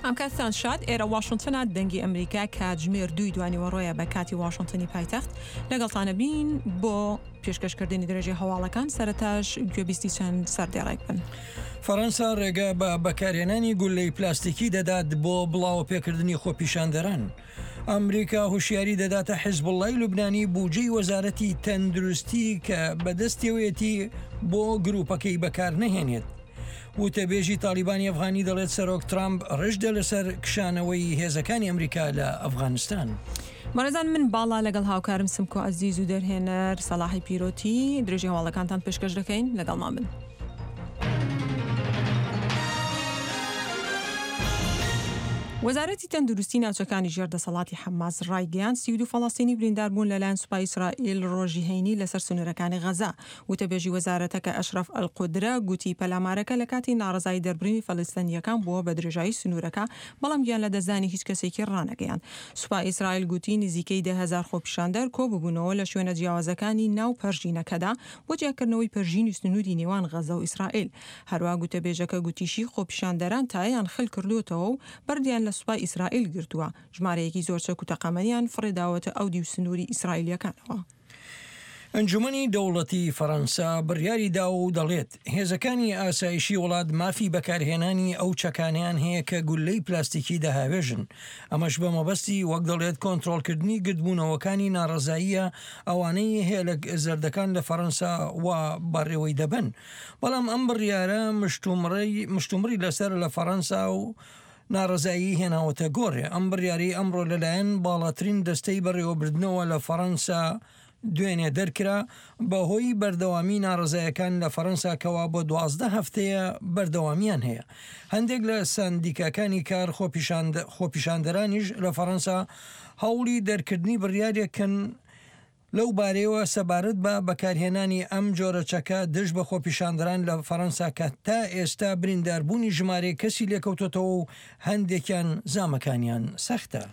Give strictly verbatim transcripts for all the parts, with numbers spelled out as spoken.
ئەم کاتتان شاد. ئێرە واشنتنە، دەنگی ئەمریکا، کاتژمێر دووی دوانیوەڕۆیە بە کاتی واشنتنی پایتەخت. لەگەڵتانە بین بۆ پێشکەشکردنی درێژەی هەواڵەکان. سەرەتاش گوێبیستی چەند سەردێڕێک بن. فەرەنسا ڕێگە بە بەکارهێنانی گولەی پلاستیکی دەدات بۆ بڵاوە پێکردنی خۆپیشاندەران. ئەمریکا هوشیاری دەداتە حیزبوڵڵای لوبنانی بودجەی وەزارەتی تەندروستی کە بەدەستیەوەیەتی بۆ گروپەکەی بەکار نەهێنێت. وتەبێژی تالیبانی ئەفغانی دەڵێت سەرۆک ترامپ ڕژدە لەسەر کشانەوەی هێزەکانی ئەمریکا لە ئەفغانستان. بەڕێزان، من باڵا لەگەڵ هاوکارم سمکۆ عەزیز و دەرهێنەر سەلاحی پیرۆتی درێژی هەواڵەکانتان پێشکەش دەکەین. لەگەڵمان بن. وەزارەتی تەندروستی ناوچەکانی ژێر دەسەڵاتی حەماس ڕایگەیاند سی و دوو فەڵەستینی بریندار بوون لەلایەن سوپای ئیسرائیل ڕۆژی هەینی لەسەر سنوورەکانی غەزە. وتەبێژی وەزارەتەکە ئەشرەف ئەلقودرە گوتی پەلامارەکە لە کاتی ناڕەزایی دەربڕینی فەلەستینییەکان بووە بە درێژایی سنوورەکە، بەڵام گیان لەدەستدانی هیچ کەسێکی ڕانەگەیاند. سوپای ئیسرائیل گوتی نزیکەی دە هەزار خۆپیشاندەر کۆببوونەوە لە شوێنە جیاوازەکانی ناو پەرژینەکەدا بۆ جیاکردنەوەی پەرژینی سنووری نێوان غەزە و ئیسرائیل. هەروەها گوتەبێژەکە گوتیشی خۆپیشاندەران تایەیان خل کردووەتەوە و بەردیان لە سوپای ئیسرائیل گرتووە، ژمارەیەکی زۆر چەک و تەقەمەنیان فڕێداوەتە ئەو دیو سنووری ئیسرائیلیەکانەوە. ئەنجومەنی دەوڵەتی فەرەنسا بڕیاری داوە و دەڵێت هێزەکانی ئاسایشی وڵات مافی بەکارهێنانی ئەو چەکانیان هەیە کە گولەی پلاستیکی دەهاوێژن. ئەمەش بە مەبەستی وەک دەڵێت کۆنترۆڵکردنی گردبوونەوەکانی ناڕەزاییە ئەوانەی هێلک زەردەکان لە فەرەنسا و بەڕێوەی دەبن. بەڵام ئەم بڕیارە مشتومڕی لەسەر لە فەرەنسا و ناڕەزایی هێناوەتە گۆڕێ. ئەم بڕیاری ئەمڕۆ لەلایەن باڵاترین دەستەی بەڕێوەبردنەوە لە فەرەنسا دوێنێ دەرکرا بەهۆی بەردەوامی ناڕەزایەکان لە فەرەنسا کەوا بۆ دوازدە هەفتەیە بەردەوامیان هەیە. هەندێک لە سەندیکاکانی کار خۆپیشاندەرانیش لە فەرەنسا هەوڵی دەرکردنی بڕیارێکن لەو بارەیەوە سەبارەت بە بەکارهێنانی ئەم جۆرە چەکە دژ بە خۆپیشاندەران لە فەرەنسا کە تا ئێستا برینداربوونی ژمارەیەک کەسی لێکەوتۆتەوە و هەندێکیان زامەکانیان سەختە.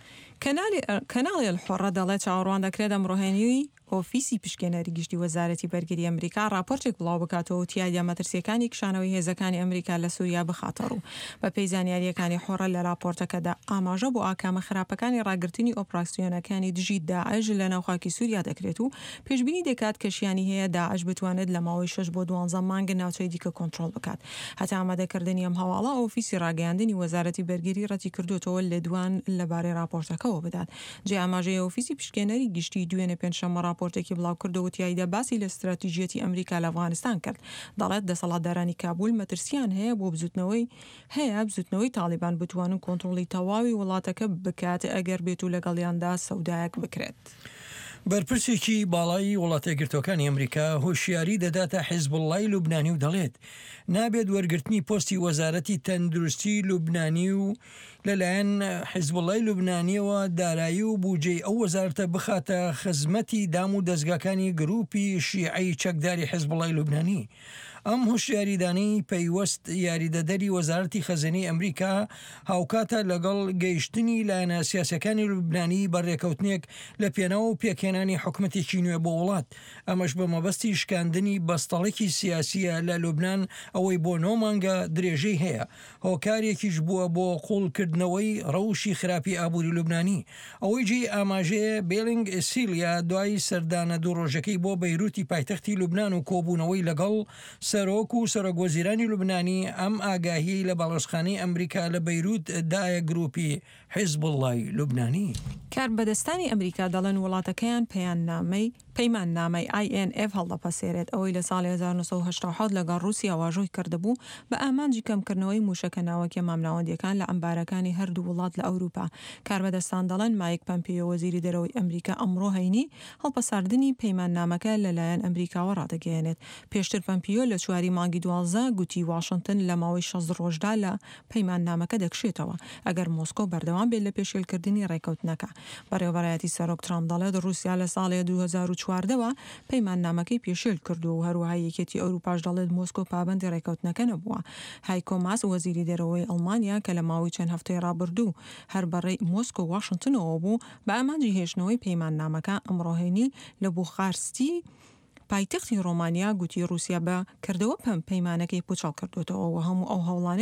کەناڵی الحڕە دەڵێت چاوەڕوان دەکرێت ئەمڕۆ هەینی ئۆفیسی پشکێنەری گشتی وەزارەتی بەرگری ئەمریکا راپۆرتێک بڵاو بکاتەوە و تیایدا مەترسیەکانی کشانەوەی هێزەکانی ئەمریکا لە سووریا بخاتەڕوو. بە پێی زانیاریەکانی حۆڕە لە راپۆرتەکەدا ئاماژە بۆ ئاکامە خراپەکانی ڕاگرتنی ئۆپراسیۆنەکانی دژی داعش لە ناوخاکی سووریا دەکرێت و پێشبینی دەکات کە شیانی هەیە داعش بتوانێت لە ماوەی شەش بۆ دوانزە مانگ ناوچەی دیکە کۆنترۆڵ بکات. هەتا ئامادەکردنی ئەم هەواڵە ئۆفیسی ڕاگەیاندنی وەزارەتی بەرگری ڕەتی کردوێتەوە لێدوان لەبارەی راپۆرتەکەوە بدات. جێ ئاماژەیە ئۆفیسی پشکێنەری گشتی دوێنێ پێنجشەممە راپۆرتێکی بڵاو کردەوە تیایدا باسی لە استراتیژیەتی ئەمریکا لە ئەفغانستان کرد. دەڵێت دەسەڵاتدارانی کابول مەترسیان هەیە بۆ بزوتنەوەی هەیە بزوتنەوەی تاڵیبان بتوانن کۆنترۆڵی تەواوی وڵاتەکە بکات ئەگەر بێت و لەگەڵیاندا سەودایەک بکرێت. بەرپرسێکی باڵای وڵاتە یەکگرتووەکانی ئەمریکا هۆشیاری دەداتە حیزبوڵڵای لوبنانی و دەڵێت نابێت وەرگرتنی پۆستی وەزارەتی تەندروستی لوبنانی و لەلایەن حیزبوڵڵای لوبنانیەوە دارایی و بودجەی ئەو وەزارەتە بخاتە خزمەتی دام و دەستگاکانی گروپی شیعەی چەکداری حیزبوڵڵای لوبنانی. ئەم هۆشیاریدانەی پەیوەست یاریدەدەری وەزارەتی خەزێنەی ئەمریکا هاوکاتە لەگەڵ گەیشتنی لایەنە سیاسەکانی لوبنانی بە ڕێکەوتنێک لە پێناو و پێکهێنانی حکومەتێکی نوێ بۆ وڵات. ئەمەش بە مەبەستی شکاندنی بەستەڵێکی سیاسیە لە لوبنان ئەوەی بۆ نۆ مانگە درێژەی هەیە. هۆکارێکیش بووە بۆ قوڵکردنەوەی ڕەوشی خراپی ئابووری لوبنانی. ئەوەی جێی ئاماژەیە بێلینگ سیلیا دوای سەردانە دوو ڕۆژەکەی بۆ بەیروتی پایتەختی لوبنان و کۆبوونەوەی لەگەڵ سەرۆک و سەرۆک وەزیرانی لوبنانی ئەم ئاگاهی لە باڵۆزخانەی ئەمریکا لە بەیروت دایە گروپی حیزبوڵڵای لوبنانی. کاربەدەستانی ئەمریکا دەڵێن وڵاتەکەیان پەیاننامەی پەیماننامەی I N F هەڵدەپەسێرێت ئەوەی لە ساڵی هەزار و نۆ سەد و هەشتا و حەوت لەگەڵ ڕووسیا واژۆی کردبوو بە ئامانجی کەمکردنەوەی موشەکە ناوەکیە مامناوەندیەکان لە ئەمبارەکانی هەردوو وڵات لە ئەوروپا. کاربەدەستان دەڵێن مایک پەمپیۆ وەزیری دەرەوەی ئەمریکا ئەمڕۆ هەینی هەڵپەساردنی پەیماننامەکە لەلایەن ئەمریکاوە ڕادەگەیەنێت. پێشتر پەمپیۆ لە چواری مانگی دوازدە گوتی واشنتن لە ماوەی شەست ڕۆژدا لە پەیماننامەکە دەکشێتەوە ئەگەر مۆسکۆ بەردەوام بێت لە پێشێلکردنی ڕێکەوتنەکە. بەڕێوەبەرایەتی سەرۆک ترامپ دەڵێت ڕووسیا لە ساڵی دوو هەزار و چواردەوە پەیماننامەکەی پێشێل کردووە و هەروەها یەکێتی ئەوروپاش دەڵێت مۆسکۆ پابەندی ڕێکەوتنەکە نەبووە. هایکۆ ماس وەزیری دەرەوەی ئەڵمانیا کە لە ماوەی چەند هەفتەی ڕابردوو هەر بەڕێی مۆسکۆ واشنتنەوە بوو بە ئامانجی هێشتنەوەی پەیماننامەکە ئەمڕۆ هەینی لە بوخارستی پایتەختی ڕۆمانیا گوتی ڕووسیا بە کردەوە پەیمانەکەی پوچەڵ کردوێتەوە و هەموو ئەو هەوڵانەی